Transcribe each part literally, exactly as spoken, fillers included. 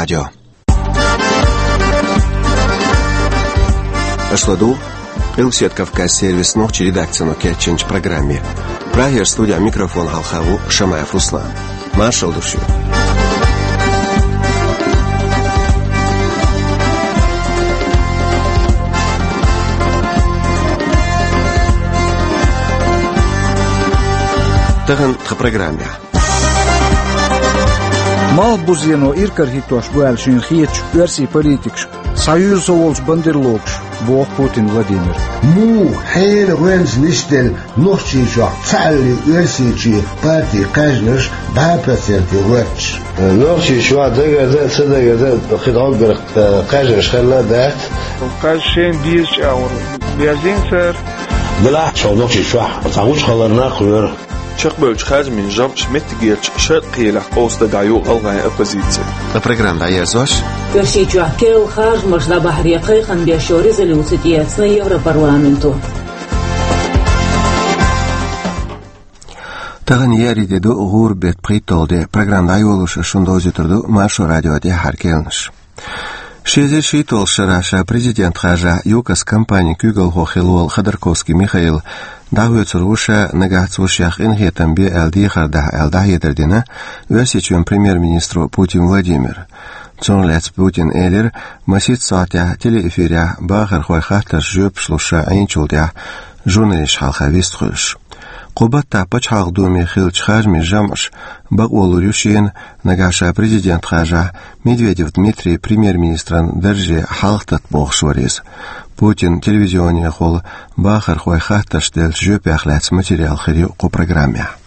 Радио. Аша ладугӀу Къилбаседа Кавказан сервисан нохчийн редакцино кечйинчу программе. Прагера студехь микрофон хьалха ву Шамаев Руслан. Маршалла ду шуьга. Тахана тхан программехь. Малхбузено иракарахь хӀиттош бу аьлла шена хетачу оьрсийн политикашка схьаюьйжу со волчу бандерлогаш, боху Путин Владимира. Муха хьенан гӀоьнца нисделла Нохчийчохь цхьаалле оьрсийн партийн кхаьжнаш дӀа проценте гӀоьтташ? Нохчийчохь дагар дан а, ца дагар дан а кхин дӀоггара кхаьжнаш хилла а дац. Кхаьжна шайна безачу агӀор баьрзийна цара. Делахь а, шайн Нохчийчохь цхьа гучу хабар нах а лоьру. Чекхбевллачу харжамийн жамӀаш меттигерчу шаркхелехь къовса дагахь ю гӀалгӀайн оппозици. Ткъа программа дӀаерзош. Оьрсийчохь керла харжамаш дӀабахьаре кхайкхам беш йолу резолюци тӀеэцна Европарламенто. Тахана еарин де ду, гӀуран беттан пхийтталгӀа де. Программа дӀайолош ас шуна довзуьйтур ду Маршо радион тӀаьххьара кхаьънаш. Ши эзар шийтталгӀачу шарахь ша президент харжахь ЮКОС компанин куьйгалхо хилла волу Ходорковский Михаил дӀахоьцур ву ша, нагахь цо шех къинхетам бе аьлла дехар дахь аьлла дӀахьедар дина Оьрсийчоьнан премьер-министро Путин Владимира. Цунах лаьцна Путина элира, масех сахьтехь телеэфирехь бахархойн хаттаршна жоьпаш луш ша Ӏийначул тӀаьхьа журналисташна хьалха вистхуьлуш. Кху баттахь Пачхьалкхан Думе хиллачу харжамийн жамӀаша бакъо лур ю шена, нагахь ша президент харжахь, Медведев Дмитрий премьер-министран дарже хьалха тата бохуш вара иза. Путинан телевизионехула бахархойн хаттаршна деллачу жоьпех лаьцна материал хир ю кху программехь.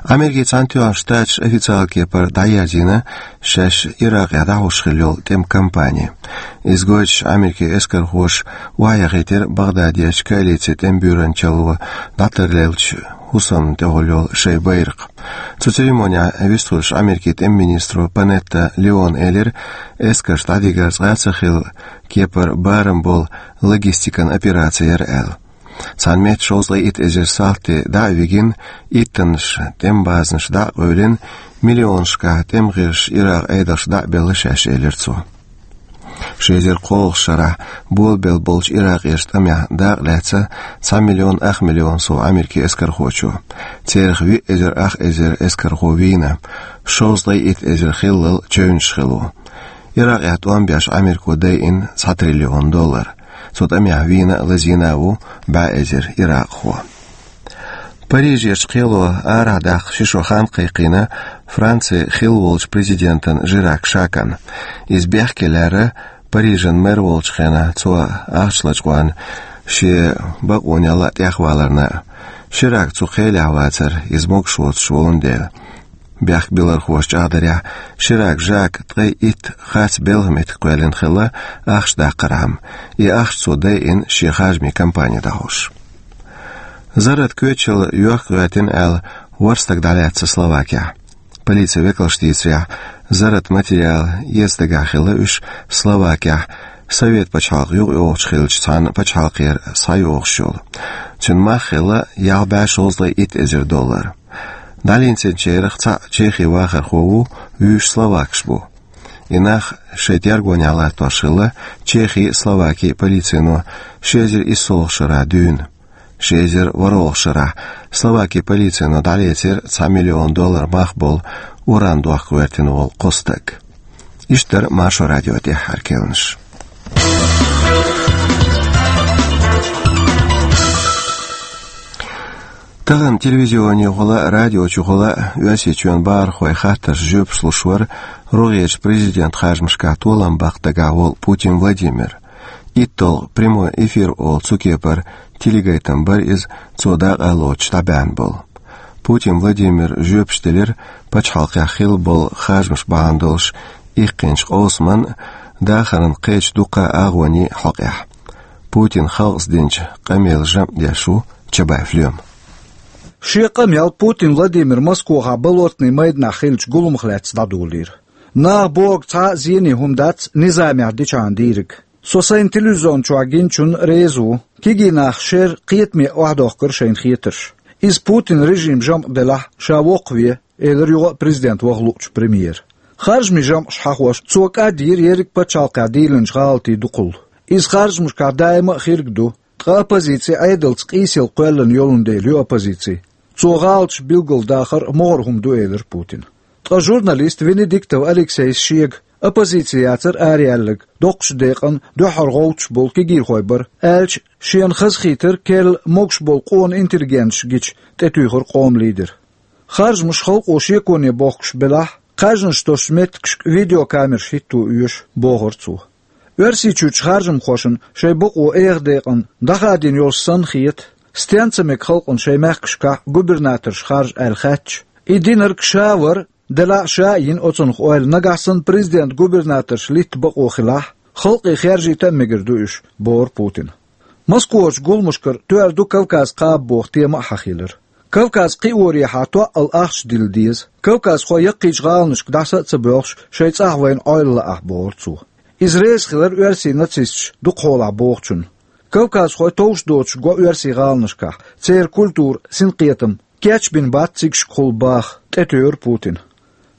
Америкин Цхьаьнатоьхначу Штаташа официалан кепара дӀаерзийна шаьш Иракъехь дӀахьош хилла йолу тӀеман кампани. Иза гойтуш, Америкин эскархоша охьаяхийтира Багъдадерчу коалицин тӀеман буьйранчалло дӀатарлеллачу хӀусамна тӀехула йолу шайн байракх. Цу церемонехь вистхуьлуш Америкин тӀеман министро Панетта Леона элира, эскарш дӀадигар цкъа а ца хилла, кепара барам болу логистикан операци яра аьлла. Цхьана метта шовзткъе итт эзар салти дӀа а вигина, иттаннаш тӀеман базанаш дӀа а къевлина, миллионашкахь тӀеман гӀирсаш Иракъан Ӏедалша дӀа а белла шаьш, элира цо. Ши эзар кхоалгӀачу шарахь болабелла болчу иракъерчу тӀамехь дакъа лаьцна цхьа миллион ах миллион сов Америкин эскархочо. Царах виъ эзар ах эзар эскархо вийна, шовзткъе итт эзар хиллал чевнаш хилла ву. Иракъехь тӀом беш Америко дайина цхьа триллион доллар. Цу тӀамехь вийна а, лазийна а ву бӀе эзар иракъхо. Парижерчу кхело арахь даккха ши шо хан кхайкхийна Францин хилла волчу президентан Жирак Шакан. Иза бехке лаьрра Парижан мэр волчу хенахь, цо ахча лачкъорна, шен бакъонел а тӀехваларна а. Ширак цу кхелехь вацара, иза могуш воцуш волун дела. Бехк билархоша чӀагӀдарехь, Ширак Жака ткъе итт харц белхан меттиг кхоьллина хилла ахча даккхархьама. И ахча цо дайина шен харжамийн кампани дӀахьош. Зарратан коьчал йохка гӀоьртина аьлла, ворхӀ стаг дӀалаьцна Словакехь. Полицин векалша дийцарехь, зарратан материал эца дагахь хилла уьш Словакехь, Совет пачхьалкх юкъайогӀучу хиллачу цхьана пачхьалкхера схьайогӀуш йолу. Цуьнан мах хилла ялх бӀе шовзткъе итт эзар доллар. ДӀалинчерах цхьаъ чехи вахархо ву, вуьйш словакаш бу. И нах шайн тергонехь латтош хилла Чехин а, Словакин а полицино ши эзар иссалгӀачу шарахь дуьйна. Ши эзар ворхӀалгӀачу шарахь Словакин полицино дӀалецира цхьа миллион доллар мах болу уран дохка гӀоьртина волу кхо стаг. Иштта дара Маршо радион тӀаьххьара кхаьънаш. Тахана телевизионехула а, радиочухула а Оьрсийчоьнан бахархойн хаттаршна жоьпаш луш вара рогӀерчу президентан харжамашкахь толам баккха дагахь волу Путин Владимир. ИтталгӀа прямой эфир олу цу кепара телегайтам бара иза, цо дакъа лоцуш дӀабаьхьна болу. Путин Владимира жоьпаш делира пачхьалкхехь хилла болу харжамаш бахьана долуш иккхинчу къовсаман а, дахаран кхечу дуккха а агӀонийн а хьокъехь. Путина халкъаца динчу къамелан жамӀ деш ву Чабаев Лема. Шен къамел Путин Владимира Москвахь Болотный майданахь хиллачу гуламах лаьцна дӀадолийра. Наха бохург цхьа а зене хӀума дац низамехь дичахьана дийриг. Со сайн телевизион чохь гиначунна реза ву. Кегий нах шера кхетаме охьадохкура шайна хетарш. Иза Путинан режиман жамӀ делахь, ша воккхаве, элира юха а президент ваха луучу премьера. Харжамийн жамӀаш хьахош, цо кӀад йира ерриг пачхьалкхехь дийлинчу гӀалатийн дукхалла. Иза харжамашкахь даима а хирг ду, ткъа оппозици Ӏедалца къийсалла кхоьллина йолун дела ю оппозици. Цо гӀалаташ билгалдахар могӀара хӀума ду, элира Путина. Ткъа журналист Венедиктов Алексейс шега, оппозици яцара араяьлларг, доккхачу декъана дуьххьара гӀовттуш болу кегийрхой бара, аьлча, шена хазахийтар керла могуш болу къона интеллигенташ гича, тӀетуьйхира къоман лидера. Харжамаш халкъо шеконе бохкуш белахь, кхаьжнаш тосучу меттигашка видеокамераш хӀитто оьшу, бохура цо. Оьрсийчуьрчу харжамхошна шайн бакъо эха декъана дӀахадийна йолуш санна хета, стен ца мега халкъана шайн мехкашкахь губернаторш харжа аьлла хаьттича, и динарг ша вара, делахь а ша а йина оцунах ойла, нагахь санна президент губернаторш литта бакъо хилахь, халкъе хержийта а мегар ду уьш, бохура Путина. Москварчу гуламашкара тоьар ду Кавказ кхаба боху тема а хьахийлира. Кавказ кхиорехьа тоъал ахча дилла деза. Кавказхой яккхийчу гӀаланашка дӀаса а ца боьлхуш, шайн цӀахь вайна Ӏойла лаахь, бохура цо. Иза реза хилар оьрсийн нацисташ дукха хьолахь бохучунна. Кавказхой товш доцуш го оьрсийн гӀаланашкахь, церан культура, синкхетам, кечбина бац цигашкахула баха, тӀетуьйхира Путина.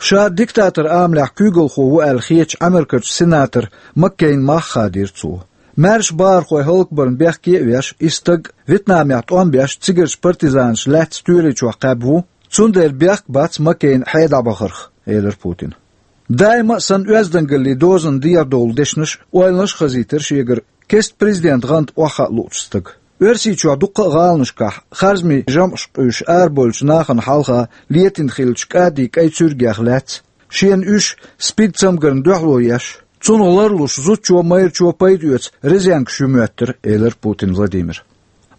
Ша диктатор амалехь куьйгалхо ву аьлла хетачу Ӏамеркачу сенатор Маккейн мах а хадийра цо. Маьрша бахархой хӀаллакбарна бехке а веш, и стаг, Вьетнамехь тӀом беш, цигарчу партизанаш лаьцна тоьличохь кхаьбна ву, цундела бехк бац Маккейна хье дӀабахарх, элира Путина. Даима а санна оьздангаллин дозанна дехьадовлу дешнаш а, ойланаш а хазийтира шегара кеста президентан гӀанта охьахаа луучу стага. Оьрсийчохь дуккха а гӀаланашкахь харжамийн жамӀаш къуьйсуш арабевллачу нахана хьалха летийна хиллачу кӀадин кӀайн цуьргех лаьцна, шена уьш СПИД цамгарна дуьхьало еш, цунах ларлуш зудчо а, майрачо а пайда оьцу резинкаш ю моьттура, элира Путин Владимира.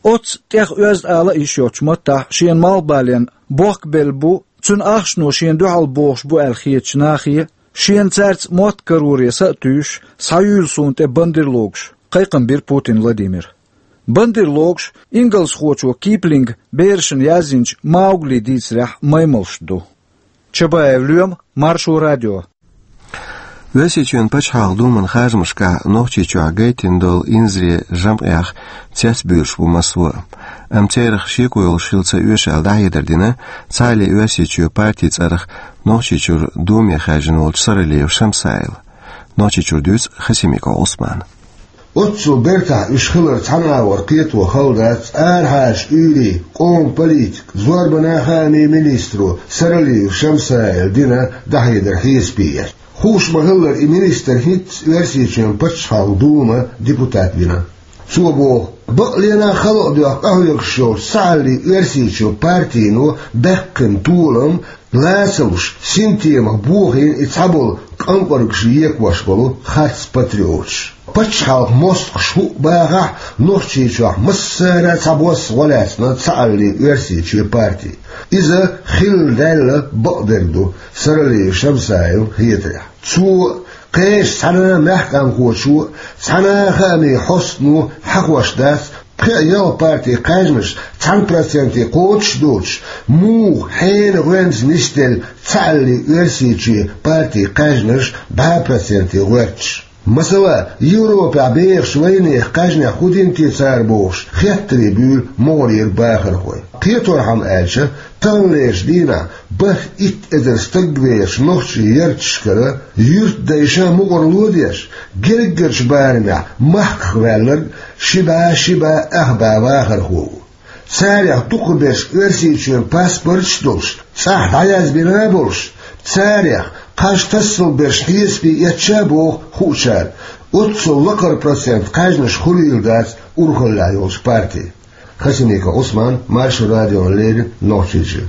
Оццу тӀех оьзда ала а йиш йоцчу маттахь шена малхбален бохкабелла бу, цуьнан ахчано шена дуьхьал бохуш бу аьлла хетачу нахе, шена цаьрца мотт кароре са а туьйсуш, схьаюьйла суна тӀе бандерлогаш, кхайкхам бира Путин Владимира. Бандерлогаш ингалсхочо Киплинга берашна яздинчу Маугли дийцарехь маймалш ду. Чабаев Лоьма, Маршо радио. Оьрсийчоьнан пачхьалкхан думан харжамашкахь Нохчийчохь гайтина долу инзаре жамӀех цецбуьйлуш бу массо а. Амма церах шеко йолуш хила ца оьшу аьлла дӀахьедар дина Цхьааллин Оьрсийчоь партин цӀарах Нохчийчуьра думе хаьржина волчу Саралиев Шамсайла. Нохчийчуьра дуьйцу Хасимиков Ӏусмана. Оццул бертахь уьш хилар цхьана агӀор кхето хала дац арахьарчу уьйрийн къоман политикан, зорбанан хаамийн министро Саралиев Шамсайла дина дӀахьедар хьесапе эцна. Хууш ма-хиллара, и министр хӀинцца Оьрсийчоьнан пачхьалкхан думан депутат вина. Цо боху, бакъ лена а хала а доьхна къахьоьгуш йолчу Цхьааллин Оьрсийчоь партино баьккхина толам, лацамаш синтемах бохийна и цхьаболу къанкъаргаш екъош болу харц патриоташ. Пачхьалкхан мостагӀаш хӀуъа бахахь, Нохчийчохь массара а цхьабосса гӀо лаьцна Цхьааллин Оьрсийчоь парти. Иза хилла даьлла бакъдерг ду, Саралиев Шамсайлан хетарехь. Цо а, кхечу цхьана а маьхкамхочо а, цхьана а хаамийн хьостано хьахош дац, пхеа-ялх партин кхаьжнаш цхьана проценте кхочуш а доцуш, муха хьенан гӀоьнца нисделла Цхьааллин Оьрсийчоь партин кхаьжнаш бӀе проценте гӀоьрташ. Масала, Европехь бехачу вайнехан кхаьжнех хӀун дина те цара бохуш, хеттаре буьйлу могӀарера бахархой. Кхеторхьама аьлча, таханлерчу дийнахь бархӀ итт эзар стаг бехачу нохчийн ярташкара юьртдайша мукъарло а деш, гергарчу барамехь махках ваьлларг ши бӀе, ши бӀе ах бӀе вахархо ву. Царех дукхахберш Оьрсийчоьнан паспорташ а долуш, цӀахь дӀаязбина а болуш, царех кхаж тассалберш хьесапе эцча а боху хуучара, оццул лакхара процент кхаьжнаш хуьлийла дац урхаллехь йолчу парте. Хасимиков Ӏусман, Маршо радиона леррина, Нохчийчуьра.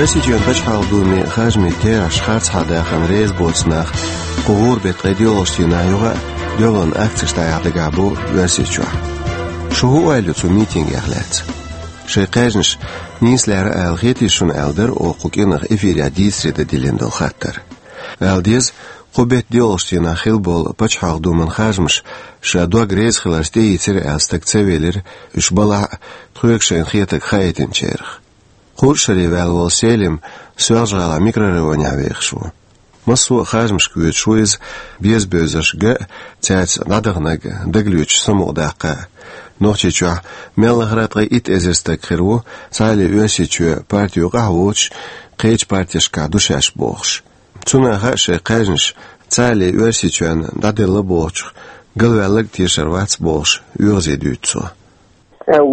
Оьрсийчоьнан пачхьалкхан думе харжамийн терахьаш харцахьа дахана реза боцу нах кху гӀуран беттан ткъе доьалгӀачу дийнахь юха а доьалгӀан акцеш дӀаяхьа дагахь бу Оьрсийчохь. Шу хӀун ойла ю цу митингех лаьцна? Шайн кхаьжнаш нийса лаьара ала хетий шуна аьлла дара оха кху кӀиранах эфирехь дийцаре дан диллина долу хаттар. Ала деза, кху беттан доьалгӀачу дийнахь хилла болу пачхьалкхан думан харжамаш ша дог реза хиларца тӀеийцира аьлла стаг ца велира, уьш балахь а тхоьга шайна хетарг хаийтинчарах. Кхузткъа шаре ваьлла волу Селим Соьлжа-ГӀалахь микрорайонехь вехаш ву. Массо а харжамашка воьдуш ву иза, беза-бевзарш ган а, цаьрца дӀадаханарг дагалоьцуш самукъадаккха а. Нохчийчохь мел лахара а ткъе итт эзар стаг хир ву, Цхьааллин Оьрсийчоь парти юкъахь а воцуш, кхечу партешкахь ду шаьш бохуш. Цунах а шайн кхаьжнаш цхьалле Оьрсийчоьнна дӀаделла бохучух галваьлларг тешар вац бохуш, оьгӀазе дуьйцу цо.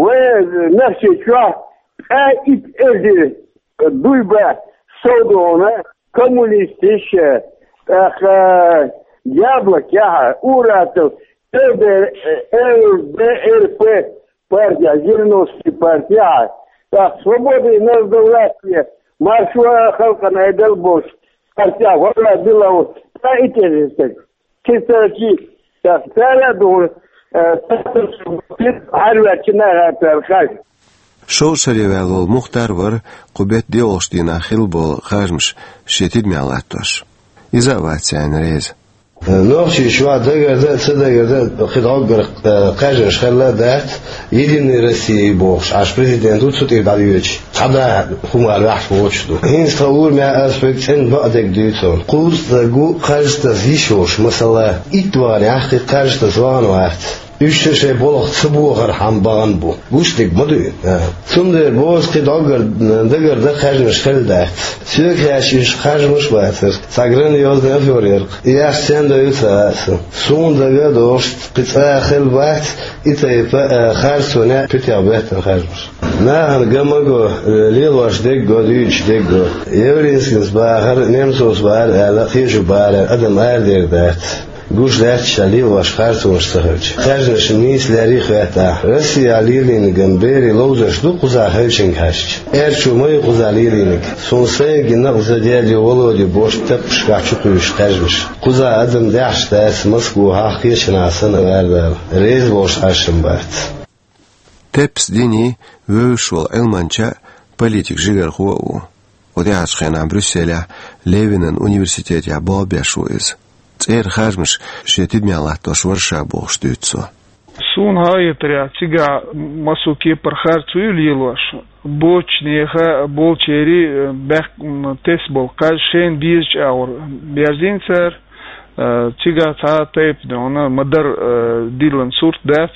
Вай Нохчийчохь ткъаь итт эзар дуй бац совдоьхна коммунисташ, тӀаккха Яблокехь, Уратов, Л Д Р П партехь, Жириновский партехь, тӀаккха Свобода и Народовластие, Маршо халкъана айдал бохуш партехь, валла билла ткъаь итт эзар стаг. Кхин цара кийча, цара а дугӀу, э, хьарваьчча наха цара хаж. Шовзткъа шаре ваьлла волу Мухтар вара кху беттан доьалгӀачу дийнахь хилла болу харжамаш шен тидамехь латтош. Иза а вац царна реза. Нохчийчохь дагардан а, ца дагардан а кхин дӀоггара, э, кхаьжнаш хилла а дац, Единая Россия бохуш, Ӏаш президент ву цу тӀера дӀадоьдуш. Цхьа да хӀума лаьхьаш воцуш ду. ХӀинца тхан урамехь ас хьоьга цӀена бакъдерг дуьйцу. Кхузткъа стаг ву харжа таса йиш йолуш, масала, итт ваханехь кхин харжа таса вахана вац. Уьш шайн болх ца бохархьама бахана бу. Гуш дерг ма дуй? А. Цундела боху ас, кхин дӀоггара дагардан кхаьжнаш хилла дац. Соьга хаьттича, уьш харжамаш а бацара. Цхьа грандиозный афера яра-кх. И ахча стенна дойду ца хаьа сан. Суна дагадогӀуш, кхин цкъа а хилла бац и тайпа, а, харцонехь а, питех беттан харжамаш. Нахана ган ма го, лелош дерг го, дуьйцуш дерг го. Явлинскис бахара, Немцовс бахара аьлла, кхечу бахарехь адам арадер дац. Гуш дац ша лелош харцонаш ца хилча. Кхаьжнаш нийса леррина а хӀоьттахь, Россехь лелийнарг берийн ловзарш ду кхузахь хилчинга хьаьжча? Аьрчо ма ю кхузахь лелийнарг. Суна сайна гина а, сан даьдин Володин бохучу таппашкахь чукхуьйсуш кхаьжнаш. Кхузахь адам даьхьаш дац, Москвахь кхечанхьа санна, арадала. Реза болуш Ӏаш-м бац. Теппас Дени вевзаш волу Ӏилманча а, политик жигархо а ву. Кху тӀаьхьарчу хенахь Брюсселехь Левинан университетехь болх беш ву иза. ЦӀера харжамаш шен тидамехь латтош вара ша бохуш дуьйцу цо. Суна хьахетарехь, цигахь массо а кепара харцо ю лелош. Боцчу нехан болчеран, э, баьхкина тесна болу кхаж шайна безачу агӀор берзийна цара. Э, цигахь цхьа а тайпа дуьйна ма-дарра, э, диллина сурт дац,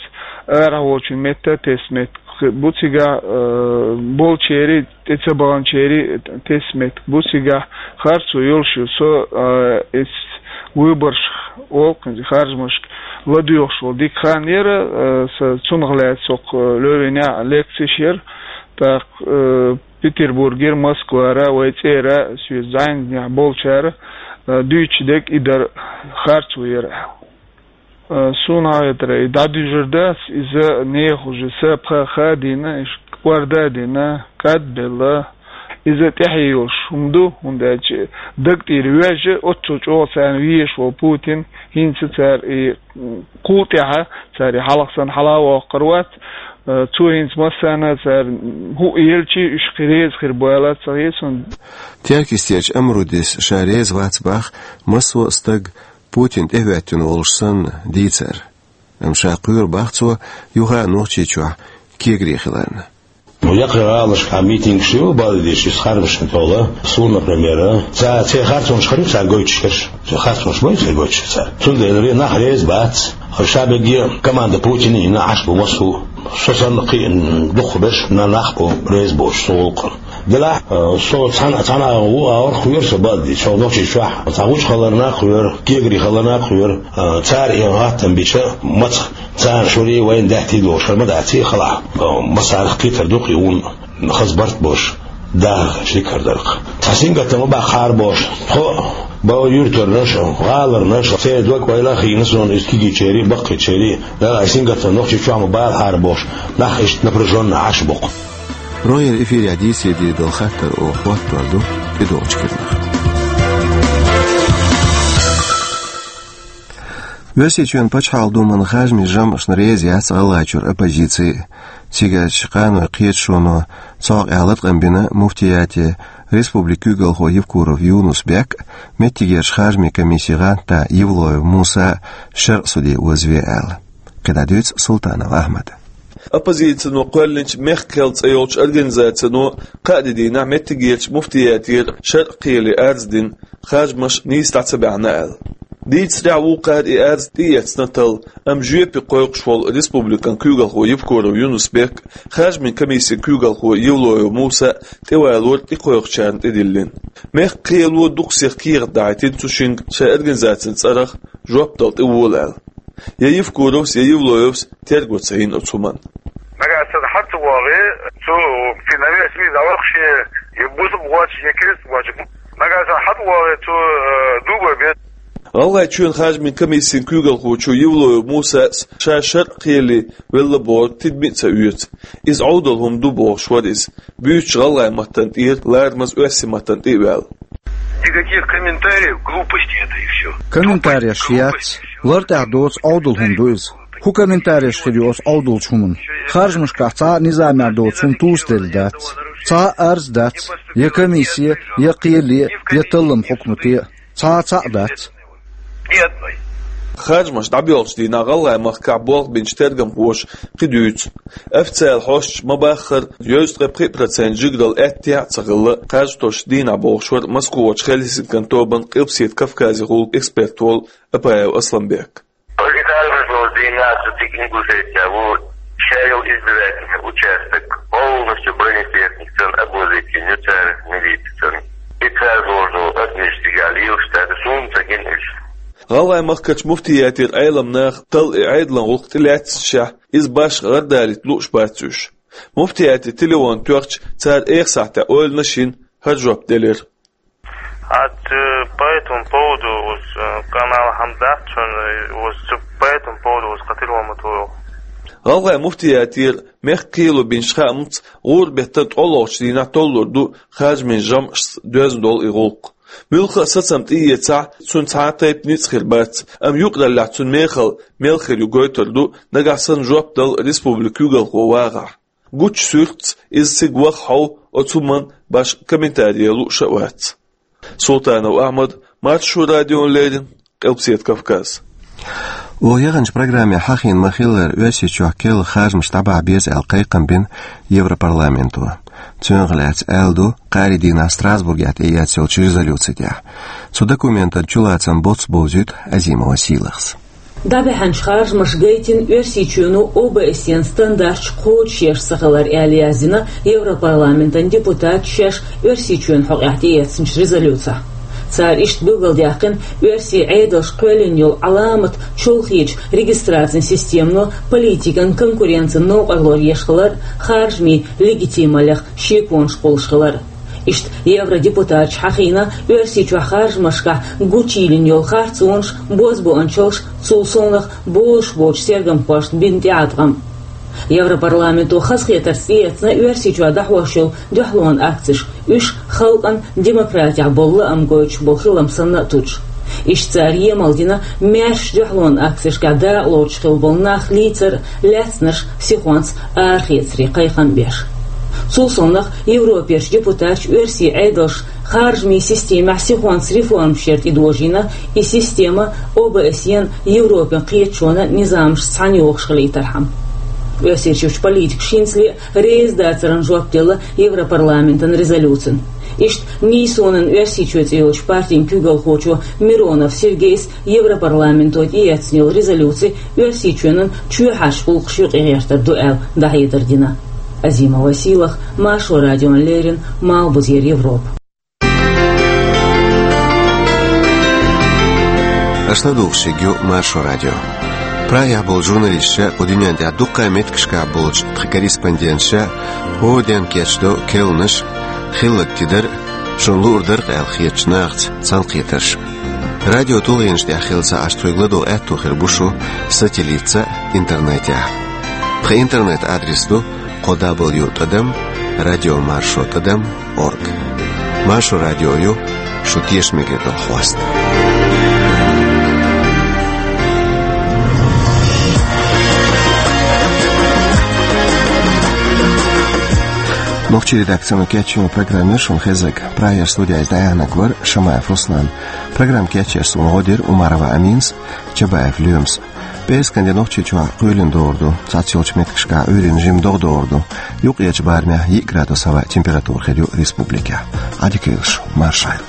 арахь волчун метта тесна меттиг бу цигахь, э, болчеран, тӀе ца баханчеран тесна меттиг бу цигахь, харцо йолуш ю. Со, э, эс выборш олу кхин харжамашка ладоьгӀуш волу дика хан яра, э, сан цунах лаьцна со кху Левинехь лекцеш яра, тӀаккха, э, Петербургера, Москвара, вайн цӀера, соьца зӀенаделла болчара, э, дуьйцуш дерг и дара, харцо яра. Э, суна хьахетарехь, и дӀадуьжур дац, иза нехан уже са пха ха а дина, иш кӀорда а дина, кад а белла. Иза тӀаьхье йолуш хӀума ду, хӀунда аьлча даг тӀера ваьжна, оццул чӀогӀа царна везаш волу Путин, хӀинца цара и, м, кхул тӀаьхьа, цара и хьалха санна хьала а воккхур вац, э, цо хӀинца массарна а цара, м, хӀуъа елча, уьш кхин реза хир бу ала ца хета суна. Теркйистерчу Амрудис ша реза вац боху массо а стаг Путин тӀехӀоьттина волуш санна дийцар. Амма ша кхоьру боху цо юха а Нохчийчохь кегари хиларна. Ну, яккхий гӀалашкахь митингаш ю, бала деш, иза харжамашна тӀехула. Суна, например, ца, церан харцонаш хир ю цара гойтуш берш. Церан харцонаш ма ю церан гойтуш цара. Цундела нах реза бац. Ша бегге команда Путина йина Ӏаш бу массо а. Со санна кхин дукхахберш нах бу реза боцуш цу гӀуллакхна. Делахь, э, со цхьана, цхьана а ву агӀор кхоьру со бала деш, со Нохчийчохь. Цхьа гуча хиларна а кхоьру, кегари хиларна а кхоьру, э, цара и гӀаттам бича, маца царна шуьра вайна даьттий долуш хир ма дац и хала. Э, массарах кхетар ду кхин вуна, хаза барт болуш, дахар шикар дарх. Цхьа сингаттам ма баккхара бохуш, тхо а, бан юьртарнаш а, гӀаларнаш а, церан дог ойла а хиъна суна иза кегийчерий, баккхийчерий, Дала, ай сингаттам Нохчийчохь ма балахьара бохуш, нах иштта напряжённо Ӏаш бу-кх. Рогьера эфирехь дийцаре дийр долу хаттар оха хӀоттор ду тӀедогӀучу керлахь. Оьрсийчоьнан Пачхьалкхан Думан харжамийн жамӀашна реза яц ГӀалгӀайчуьра оппозици. Цигарчу къаной кхеташоно цхьа къаьхьа латкъам бина муфтияте, республикан куьйгалхо Евкуров Юнус-Бек а, меттигерчу харжамийн комиссин гӀантдас Евлоев Муса а шарӀан суде озаве аьлла. КхидӀа дуьйцу Султанов Ахьмада. Оппозицино кхоьллинчу «Мехкан кхел» цӀе йолчу организацино кхаа де дийнахь меттигерчу муфтиятера шарӀан кхеле арз дина, харжамаш нийса дӀа ца баьхьна аьлла. Дийцарехь, вукхара и арз тӀеэцна талла, амма жоьпе кхойкхуш волу республикан куьйгалхо Евкуров Юнус-Бек, харжамийн комиссин куьйгалхо Евлоев Муса тӀевалор тӀекхойкхучарна тӀедиллина. Мехкан кхело дукха сиха кехат дахьийтина цу шинга шайн организацин цӀарах жоп дала тӀевола аьлла. Я Евкуровс, я Евлоевс терго ца йина оцу хӀуманна. Нагахь санна хьа ца вогӀий, цу фи-, навес ми завахше, я бусалба гӀоч, я керста гӀоч. Нагахь санна хьа ца вогӀий, цу, э, дуба бе. ГӀалгӀайчоьнан харжамийн комиссин куьйгалхочо Евлоев Мусас ша шарӀан кхеле велла бохург тидаме а ца оьцу. Иза Ӏовдал хӀума ду бохуш вара иза. Буьйцучу гӀалгӀайн маттана тӀера ларамаза оьрсийн маттана тӀе а ваьлла. Никаких комментариев, глупости это и всё. Комментареш яц, лартӀехь доцу Ӏовдал хӀума ду иза. ХӀун комментареш хир ю оцу Ӏовдалчу хӀуманна? Харжамашкахь цхьа а низамехь доцу хӀума тӀе а делла дац. Цхьа а арз дац, я комиссия, я кхеле, я таллам хьукмате. Цхьа а цхьаъ дац. Ни одной. Харжамаш дӀабоьлхучу дийнахь ГӀалгӀайн махкахь болх бинчу тергамхоша кхин дуьйцу. Официалан хьосташа ма-баххара, дезткъе пхи процент жигаралла аьттехьа а ца хилла, кхаж тосучу дийнахь, бохуш вара Москвахочу Хельсинкан тобанан Къилбаседа Кавказехула эксперт волу Апаев Асланбек. Пролетарий должен заниматься Ингушетия, вот, шайл избирательный участок, полностью бронетехникаца обложить, нюцар милицияца. И цар должен отмечать, галил, что это сумца генеш. ГӀалгӀайн махкарчу муфтиятера Ӏелам наха талла и Ӏедалан гӀуллакх тӀелаьцначохь, иза башха гӀардалийта лууш бац уьш. Муфтиятера телефон тоьхча, цара эха сахьтехь ойланаш йина, хӀара жоп делира. Ат, э, по этому поводу уж, э, канал Хамдат, он, э, уж, э, по этому поводу уж хатир ламат ву. ГӀалгӀайн муфтиятера мехкан кхело бинчу хаамца, гӀуран беттан ткъолгӀачу дийнахь толлур ду харжамийн жамӀашца доьзна долу и гӀуллакх. Муьлхха а сацам тӀеэцахь, цуьнан цхьа а тайпа ницкъ хир бац, амма юкъараллехь цуьнан мехалла мел хир ю гойтур ду, нагахь санна жоп дала республикан куьйгалхо вагӀахь. Гучу суьртаца иза цига ваха хьов, оцу хӀуманна башха комментари лууш а вац. Султанов Ахьмад, Маршо радиона леррина, Къилбаседа Кавказ. Оха яханчу программе хьахийна ма-хиллара, Оьрсийчохь керла харжамаш дӀабахьа беза аьлла кхайкхам бина Европарламенто. Цунах лаьцна аьлла ду кхаарин дийнахь Страсбургехь тӀеэцна йолчу резолюци тӀехь. Цу документан чулацам боцца бовзуьйту Азимова Сийлахьас. ДӀабаьхьначу харжамаша гайтина Оьрсийчоьно О Б С Е-н стандарташ кхочушъеш ца хилар аьлла, яздина Европарламентан депутаташа шаьш Оьрсийчоьнан хьокъехь тӀеэцначу резолюцехь. Цара иштта билгалдаьккхина оьрсийн Ӏедалша кхоьллина йолу Ӏаламат чолхечу регистрацин системано политикан конкуренцин новкъарло еш хилар, харжамийн легитималлех шеконаш кхуллуш хилар. Иштта евродепутаташа хьахийна Оьрсийчохь харжамашкахь гучуйиллина йолу харцонаш, бозбуунчаллаш, цул совнаха болуш боцчу тергамхошна бина тӀеӀаткъам. Европарламенто хазахетарца тӀеэцна Оьрсийчохь дӀахьош йолу дуьхьалонан акцеш, уьш халкъана демократехь болу лаам гойтуш болу хилам санна а туьдуш. Иштта цара емал дина маьршачу дуьхьалонан акцешкахь дакъалоцуш хилла болу нах лийцар а, лаьцнарш сихонца арахецаре кхайкхам беш. Цул совнаха Европерчу депутаташа оьрсийн Ӏедалша харжамийн системехь сихонца реформаш яр тӀедожийна, и система О Б С Е-н, Европин кхеташонан низамашца цхьаьна йохуш хилийтархьама. Оьрсийчуьрчу политикаша хӀинцале а реза дацаран жоп делла Европарламентан резолюцина. Иштта «Нийсонан Оьрсийчоь» цӀе йолчу партин куьйгалхочо Миронов Сергейс Европарламенто тӀеэцна йолу резолюци Оьрсийчоьнан чоьхьарчу гӀуллакхаш юкъагӀертар ду аьлла дӀахьедар дина. Азимова Сийлахь, Маршо радиона леррина, Малхбузера Европа. Аша ладугӀуш ерг ю Маршо радио. Прагехь болчу журналисташа, кху дуьнен тӀехь дуккха а меттигашкахь болчу тхан корреспонденташа хӀора ден кечдо керланаш, хилларг тидар, шуна луур дара-кх аьлла хетачу нахаца цхьаьнакхетарш. Радио тулгӀенаш тӀехь хилла ца Ӏаш, тхоьга ладогӀа аьтто хир бу шун сателлитца а, интернетехь а. Тхан интернет-адрес ду кхо дабл ю тӀадам радио маршо тӀадам орг. Маршо радио ю шун тешаме хир долу хьоста. Нохчийн редакцино кечйина программа шуна хезнарг. Прагера студехь иза дӀаяьхьнарг вара Шамаев Руслан. Программа кечъеш суна гӀо дира Умарова Аминас, Чабаев Лоьмас. ПӀераскан де Нохчийчохь кхоьлина догӀур ду, цхьацца йолчу меттигашкахь Ӏуьйранна жимма догӀа догӀур ду. Юккъерчу барамехь йиъ градус хӀаваан температура хир ю республикехь. Ӏадика йойла шун, маршалла.